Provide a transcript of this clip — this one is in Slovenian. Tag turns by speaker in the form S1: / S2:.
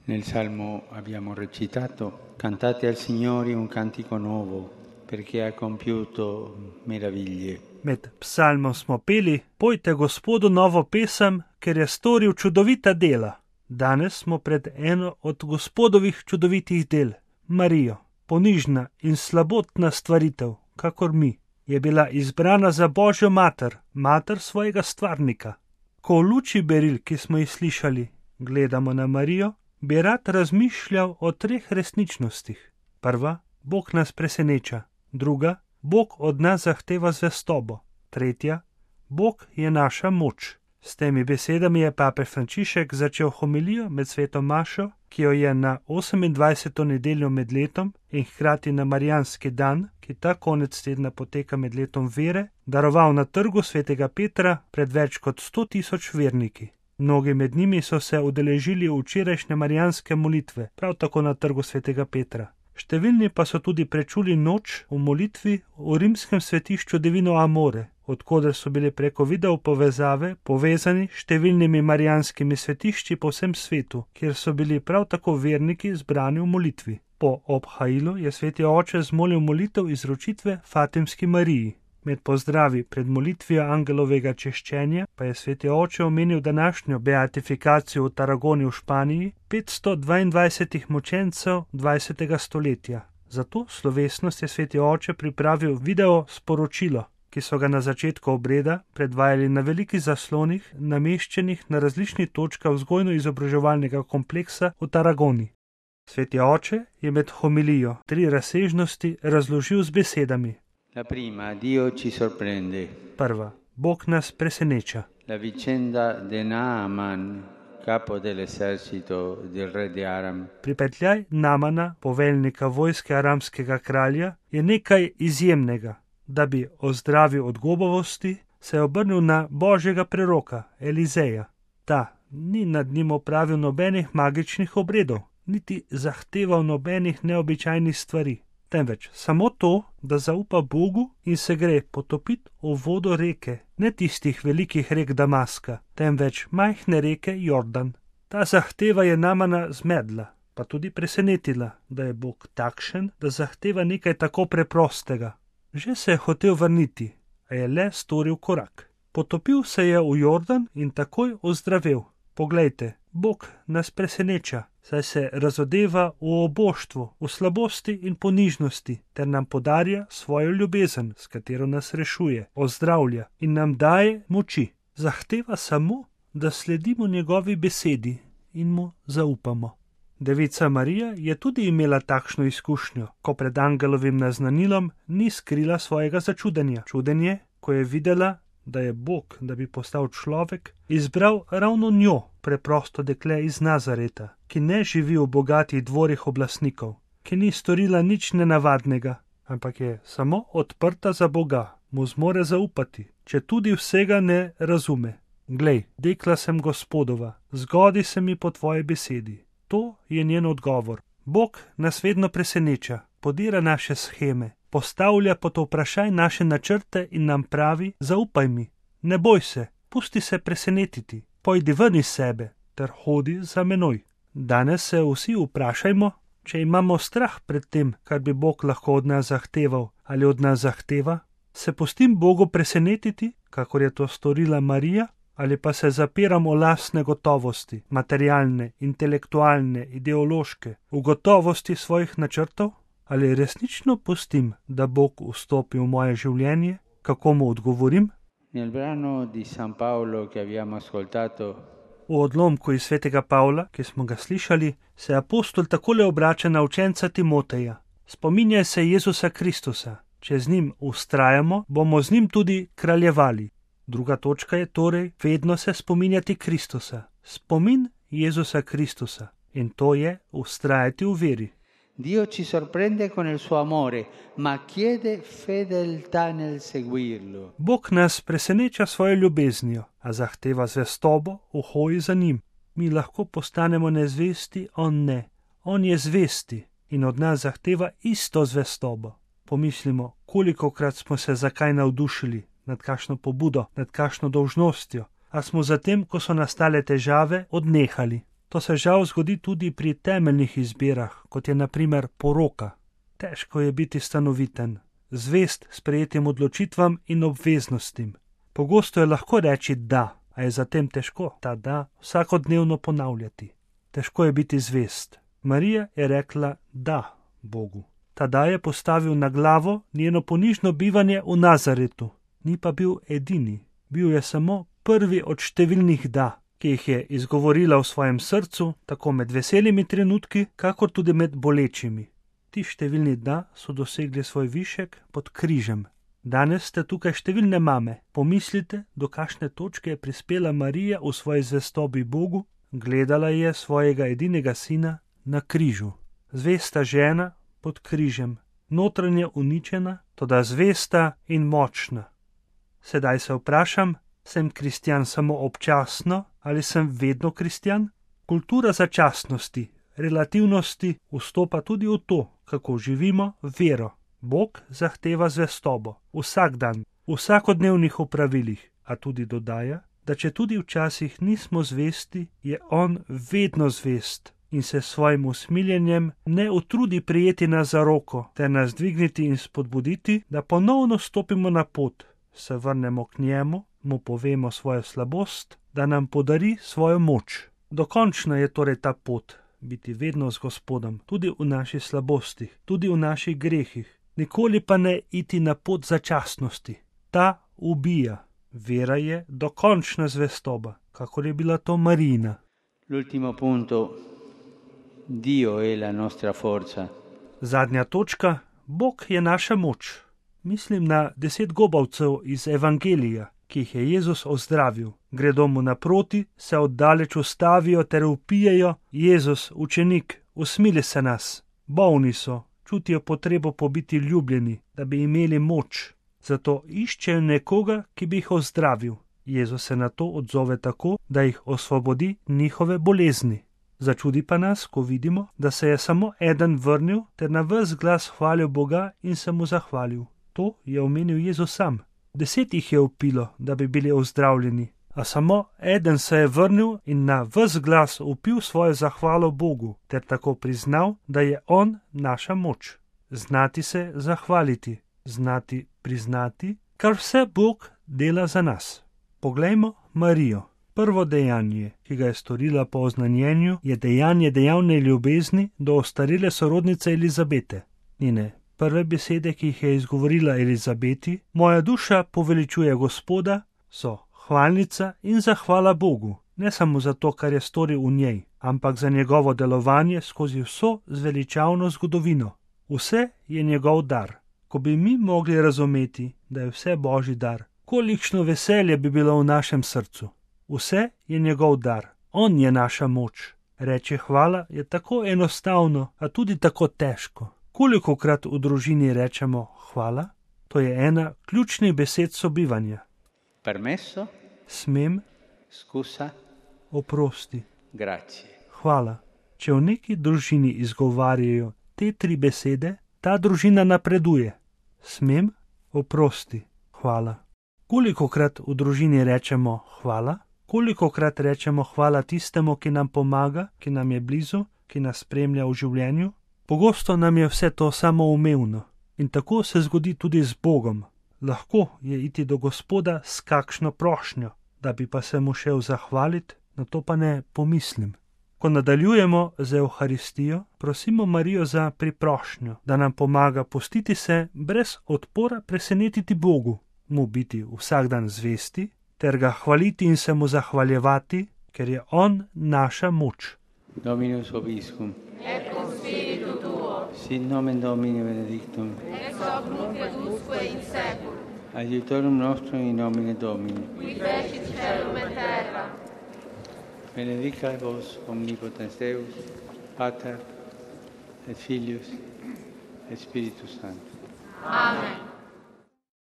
S1: Nel Salmo abbiamo recitato: cantate al Signore un cantico nuovo, perché ha compiuto meraviglie.
S2: Med psalmom smo peli: pojte Gospodu novo pesem, ker je storil čudovita dela. Danes smo pred eno od Gospodovih čudovitih del, Marijo. Ponižna in slabotna stvaritev, kakor mi, je bila izbrana za Božjo mater, mater svojega stvarnika. Ko v luči beril, ki smo jih slišali, gledamo na Marijo, bi rad razmišljal o 3 resničnostih. Prva, Bog nas preseneča. Druga, Bog od nas zahteva zvestobo. Tretja, Bog je naša moč. S temi besedami je papež Frančišek začel homilijo med sveto mašo, ki jo je na 28. nedeljo med letom in hkrati na marijanski dan, ki ta konec tedna poteka med letom vere, daroval na trgu svetega Petra pred več kot 100.000 verniki. Mnogi med njimi so se udeležili včerajšnje marijanske molitve, prav tako na trgu svetega Petra. Številni pa so tudi prečuli noč v molitvi v rimskem svetišču Divino Amore, odkoder so bili preko video povezave povezani številnimi marijanskimi svetišči po vsem svetu, kjer so bili prav tako verniki zbrani v molitvi. Po obhajilu je sveti oče zmolil molitev izročitve Fatimski Mariji. Med pozdravi pred molitvijo angelovega češčenja pa je sveti oče omenil današnjo beatifikacijo v Tarragoni v Španiji 522 mučencev 20. stoletja. Za to slovesnost je sveti oče pripravil video sporočilo, ki so ga na začetku obreda predvajali na velikih zaslonih, nameščenih na različnih točkah vzgojno-izobraževalnega kompleksa v Tarragoni. Sveti oče je med homilijo 3 razsežnosti razložil z besedami.
S1: La prima, Dio ci sorprende.
S2: Prva, Bog nas preseneča.
S1: La vicenda de Naaman, capo dell'esercito del re di Aram.
S2: Pripetljaj Naamana, poveljnika vojske aramskega kralja, je nekaj izjemnega. Da bi ozdravil od gobovosti, se je obrnil na Božjega preroka Elizeja. Ta ni nad njim opravil nobenih magičnih obredov, niti zahteval nobenih neobičajnih stvari, temveč samo to, da zaupa Bogu in se gre potopiti v vodo reke, ne tistih velikih rek Damaska, temveč majhne reke Jordan. Ta zahteva je Naamana zmedla, pa tudi presenetila, da je Bog takšen, da zahteva nekaj tako preprostega. Že se je hotel vrniti, a je le storil korak. Potopil se je v Jordan in takoj ozdravel. Poglejte, Bog nas preseneča, saj se razodeva v oboštvu, v slabosti in ponižnosti, ter nam podarja svojo ljubezen, s katero nas rešuje, ozdravlja in nam daje moči. Zahteva samo, da sledimo njegovi besedi in mu zaupamo. Devica Marija je tudi imela takšno izkušnjo, ko pred angelovim naznanilom ni skrila svojega začudenja. Čudenje, ko je videla, da je Bog, da bi postal človek, izbral ravno njo, preprosto dekle iz Nazareta, ki ne živi v bogatih dvorih oblastnikov, ki ni storila nič nenavadnega, ampak je samo odprta za Boga, mu zmore zaupati, če tudi vsega ne razume. Glej, dekla sem Gospodova, zgodi se mi po tvoji besedi. To je njen odgovor. Bog nas vedno preseneča, podira naše sheme, postavlja pod vprašaj naše načrte in nam pravi: zaupaj mi, ne boj se, pusti se presenetiti, pojdi ven iz sebe ter hodi za menoj. Danes se vsi vprašajmo, če imamo strah pred tem, kar bi Bog lahko od nas zahteval ali od nas zahteva. Se pustim Bogu presenetiti, kakor je to storila Marija, ali pa se zapiram v lastne gotovosti, materialne, intelektualne, ideološke, v gotovosti svojih načrtov? Ali resnično pustim, da Bog vstopi v moje življenje? Kako mu odgovorim?
S1: Nel brano di San Paolo che abbiamo ascoltato,
S2: V odlomku iz svetega Pavla, ki smo ga slišali, se apostol takole obrača na učenca Timoteja. Spominjaj se Jezusa Kristusa. Če z njim vztrajamo, bomo z njim tudi kraljevali. Druga točka je torej vedno se spominjati Kristusa. Spomin Jezusa Kristusa. In to je vztrajati v veri.
S1: Dio ci sorprende con il suo amore, ma chiede fedeltà nel seguirlo.
S2: Bog nas preseneča svojo ljubeznijo, a zahteva zvestobo v hoji za njim. Mi lahko postanemo nezvesti, on ne. On je zvesti in od nas zahteva isto zvestobo. Pomislimo, kolikokrat smo se zakaj navdušili, nad kakšno pobudo, nad kakšno dolžnostjo, a smo zatem, ko so nastale težave, odnehali. To se žal zgodi tudi pri temeljnih izbirah, kot je na primer poroka. Težko je biti stanoviten, zvest sprejetim odločitvam in obveznostim. Pogosto je lahko reči da, a je zatem težko ta da vsakodnevno ponavljati. Težko je biti zvest. Marija je rekla da Bogu. Ta da je postavil na glavo njeno ponižno bivanje v Nazaretu. Ni pa bil edini. Bil je samo prvi od številnih da, ki jih je izgovorila v svojem srcu, tako med veselimi trenutki, kakor tudi med bolečimi. Ti številni da so dosegli svoj višek pod križem. Danes ste tukaj številne mame. Pomislite, do kakšne točke je prispela Marija v svoji zvestobi Bogu. Gledala je svojega edinega sina na križu. Zvesta žena pod križem, notranje uničena, toda zvesta in močna. Sedaj se vprašam, sem kristjan samo občasno ali sem vedno kristjan? Kultura začasnosti, relativnosti vstopa tudi v to, kako živimo vero. Bog zahteva zvestobo, vsak dan, v vsakodnevnih opravilih, a tudi dodaja, da če tudi včasih nismo zvesti, je on vedno zvest in se svojim usmiljenjem ne utrudi prijeti nas za roko ter nas dvigniti in spodbuditi, da ponovno stopimo na pot, se vrnemo k njemu, mu povemo svojo slabost, da nam podari svojo moč. Dokončna je torej ta pot, biti vedno z Gospodom, tudi v naših slabostih, tudi v naših grehih. Nikoli pa ne iti na pot začasnosti. Ta ubija. Vera je dokončna zvestoba, kakor je bila to Marijina.
S1: L'ultimo punto. Dio è la nostra forza.
S2: Zadnja točka. Bog je naša moč. Mislim na 10 gobavcev iz Evangelija, ki jih je Jezus ozdravil. Gredo mu naproti, se oddaleč ustavijo ter vpijejo: Jezus, učenik, usmili se nas. Bolni so, čutijo potrebo po biti ljubljeni, da bi imeli moč. Zato iščejo nekoga, ki bi jih ozdravil. Jezus se na to odzove tako, da jih osvobodi njihove bolezni. Začudi pa nas, ko vidimo, da se je samo eden vrnil ter na ves glas hvalil Boga in se mu zahvalil. To je omenil Jezus sam. 10 jih je vpilo, da bi bili ozdravljeni, a samo eden se je vrnil in na ves glas vpil svojo zahvalo Bogu ter tako priznal, da je on naša moč. Znati se zahvaliti, znati priznati, kar vse Bog dela za nas. Poglejmo Marijo. Prvo dejanje, ki ga je storila po oznanjenju, je dejanje dejavne ljubezni do ostarele sorodnice Elizabete. Njene prve besede, ki jih je izgovorila Elizabeti, moja duša poveličuje Gospoda, so hvalnica in zahvala Bogu, ne samo za to, kar je storil v njej, ampak za njegovo delovanje skozi vso zveličavno zgodovino. Vse je njegov dar. Ko bi mi mogli razumeti, da je vse Božji dar, kolikšno veselje bi bilo v našem srcu. Vse je njegov dar. On je naša moč. Reče hvala je tako enostavno, a tudi tako težko. Kolikokrat v družini rečemo hvala? To je ena ključnih besed sobivanja.
S1: Permesso?
S2: Smem?
S1: Scusa?
S2: Oprosti.
S1: Grazie.
S2: Hvala. Če v neki družini izgovarjajo te 3 besede, ta družina napreduje. Smem? Oprosti. Hvala. Kolikokrat v družini rečemo hvala? Kolikokrat rečemo hvala tistemu, ki nam pomaga, ki nam je blizu, ki nas spremlja v življenju? Pogosto nam je vse to samoumevno. In tako se zgodi tudi z Bogom. Lahko je iti do Gospoda s kakšno prošnjo, da bi pa se mu šel zahvaliti, na to pa ne pomislim. Ko nadaljujemo z Evharistijo, prosimo Marijo za priprošnjo, da nam pomaga pustiti se brez odpora presenetiti Bogu, mu biti vsak dan zvesti, ter ga hvaliti in se mu zahvaljevati, ker je on naša moč.
S1: Dominus vobiscum.
S3: Et cum spiritu tuo.
S1: Sit nomen Domini benedictum.
S3: Ex hoc nunc et usque in seculum.
S1: Aiutorium nostrum in nomine Domini.
S3: Qui fecit caelum et terra.
S1: Benedicat vos omnipotens Deus, Pater et Filius et Spiritus Sanctus.
S3: Amen.